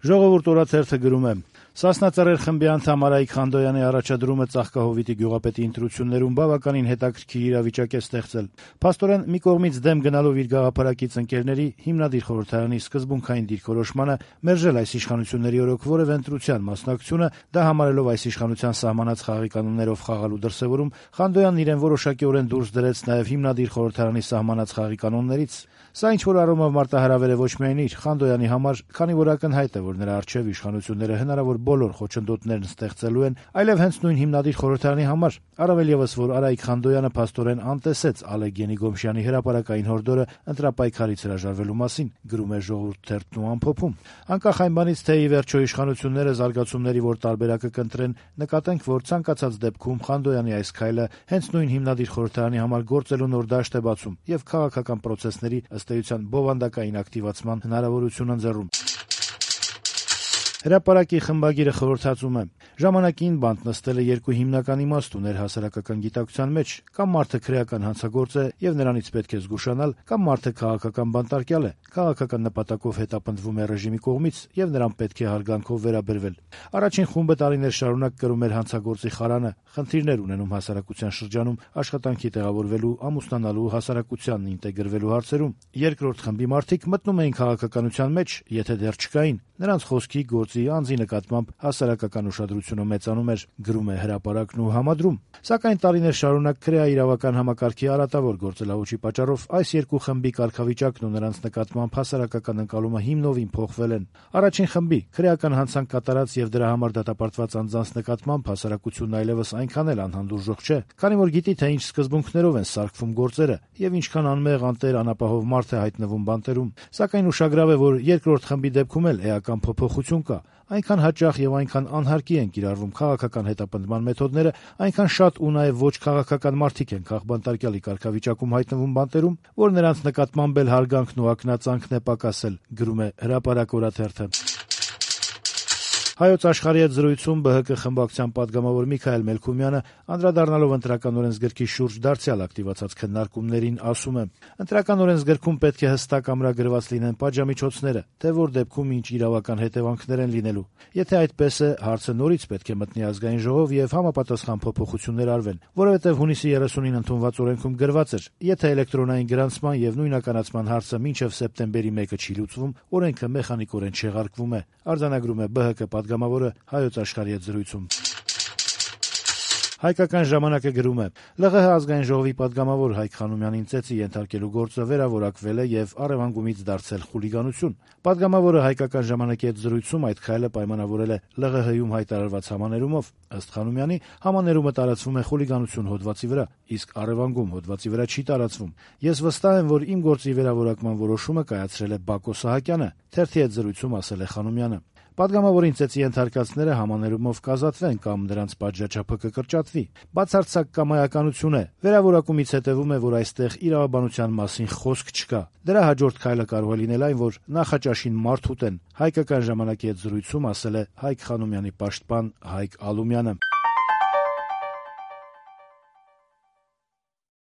Ժողովուրդ օրաթերթը գրում է. «Սասնա Ծռեր խմբի անդամ Արայիկ Խանդոյանի առաջադրումը Ծաղկահովիտի գյուղապետի ընտրություններում բավականին հետաքրքիր իրավիճակ է ստեղծել։ Փաստորեն, մի կողմից դեմ գնալով իր գաղափարակից ընկերների հիմնադիր խորհրդարանի սկզբունքային դիրքորոշմանը մերժել այս իշխանությունների օրոք որևէ ընտրության մասնակցությունը, դա համարելով այս իշխանության սահմանած խաղի կանոններով խաղալու դրսևորում, Խանդոյանն իրեն որոշակիորեն դուրս դրեց նաև հիմնադիր խորհրդարանի սահմանած խաղի կանոններից։ Սա ինչ-որ առումով մարտահրավեր է ոչ միայն իր Խանդոյանի համար, քանի որ ակնհայտ է, որ նրա առջև իշխանությունները հնարավոր բոլոր խոչընդոտներն ստեղծելու են, այլև հենց նույն հիմնադիր խորհրդարանի համար, առավել ևս, որ Արայիկ Խանդոյանը փաստորեն անտեսեց Ալեկ Ենիգոմշյանի հրապարակային հորդորը ընտրապայքարից հրաժարվելու մասին», գրում է Ժողովուրդ թերթն ու ամփոփում։ Անկախ այն բանից, թե ի վերջո իշխանությունները զարգացումների որ տարբերակը կընտրեն, նկատենք, որ ցանկացած դեպքում Խանդոյանի այս քայլը հենց նույն հիմնադիր խորհրդարանի համար գործելու նոր դաշտ է բացում եւ քաղաքական պրոցեսների ըստ էության բովանդակային ակտիվացման հնարավորություն ընձեռում։ Հրապարակի խմբագիրը խորհրդածում է. «Ժամանակին բանտ նստելը երկու հիմնական իմաստ ուներ հասարակական գիտակցության մեջ, կամ մարդը քրեական հանցագործ է եւ նրանից պետք է զգուշանալ, կամ մարդը քաղաքական բանտարկյալ է, քաղաքական նպատակով հետապնդվում է ռեժիմի կողմից եւ նրան պետք է հարգանքով վերաբերվել։ Առաջին խումբը տարիներ շարունակ կրում էր հանցագործի խարանը, խնդիրներ ունենում հասարակության շրջանում աշխատանքի տեղավորվելու, ամուսնանալու, հասարակությանն ինտեգրվելու հարցերում։ Երկրորդ խմբի մարդիկ մտնում էին քաղաքականության մեջ, եթե դեռ չկային։ Նրանց խոսքի, գործի, անձի նկատմամբ հասարակական ուշադրությունը մեծանում էր», գրում է Հրապարակն ու համադրում։ Սակայն տարիներ շարունակ քրեաիրավական համակարգի արատավոր գործելավոճի պատճառով այս երկու խմբի կարգավիճակն ու նրանց նկատմամբ հասարակական ընկալումը հիմնովին փոխվել են։ Առաջին խմբի քրեական հանցանք կատարած եւ դրա համար դատապարտված անձանց նկատմամբ հասարակությունն այլևս այնքան էլ անհանդուրժող չէ, քանի որ գիտի, թե ինչ սկզբունքներով են սարքվում գործերը եւ ինչքան անմեղ, անտեր, անապահով մարդ է հայտնվում բանտերում։ Սակայն ուշագրավ է, որ երկրորդ խմբի դեպքում էլ էական փոփոխություն կա։ Այնքան հաճախ եւ այնքան անհարկի են կիրառվում քաղաքական հետապնդման մեթոդները, այնքան շատ ու նաեւ ոչ քաղաքական մարդիկ են քաղբանտարկյալի կարգավիճակում հայտնվում բանտերում, որ նրանց նկատմամբ էլ հարգանքն ու ակնածանքն է պակասել, գրում է Հրապարակ օրաթերթը։ Հայոց աշխարհի հետ զրույցում ԲՀԿ խմբակցության падգամավոր Միքայել Մելքումյանը, անդրադառնալով ընտրական օրենսգրքի շուրջ դարձյալ ակտիվացած քննարկումներին, ասում է. «Ընտրական օրենսգրքում պետք է հստակ ամրագրված լինեն պատժամիջոցները, թե որ դեպքում ինչ իրավական հետևանքներ են լինելու։ Եթե այդպես է, հարցը նորից պետք է մտնի ազգային ժողով եւ համապատասխան փոփոխություններ արվեն, որովհետեւ հունիսի 30-ին ընդունված օրենքում գրված էր. եթե էլեկտրոնային գրանցման եւ նույնականացման հարցը մինչեւ սեպտեմբերի 1-ը չի լուծվում, օրենքը մեխանիկորեն չեղարկվում է», արձանագրում է ԲՀԿ падգամավորը Հայոց աշխարհի հետ զրույցում։ Հայկական ժամանակը գրում է. «ԼՂՀ ազգային ժողովի падգամավոր Հայկ Խանոմյանին ծեծի ենթարկելու գործը վերավորակվել է եւ առեւանգումից դարձել խուլիգանություն։ Падգամավորը Հայկական ժամանակի հետ զրույցում այդ քայլը պայմանավորել է ԼՂՀ-ում հայտարարված համաներումով։ Ըստ Խանոմյանի, համաներումը տարածվում է խուլիգանություն հոդվածի վրա, իսկ առեւանգում հոդվածի վրա չի տարածվում։ Ես վստահ եմ, որ իմ գործի վերավորակման որոշումը կայացրել է Բակո Սահակյանը», թերթի հետ զրույցում ասել է Խանոմյանը։ Падգամավորին ծեծի ենթարկածները համաներումով կազատվեն կամ նրանց պատժաչափը կկրճատվի։ Բացարձակ կամայականություն է։ Վերավորակումից հետևում է, որ այստեղ իրավաբանության մասին խոսք չկա։ Դրա հաջորդ քայլը կարող է լինել այն, որ նախաճաշին մարդ ուտեն, Հայկական ժամանակի հետ զրույցում ասել է Հայկ Խանոմյանի պաշտպան Հայկ Ալումյանը։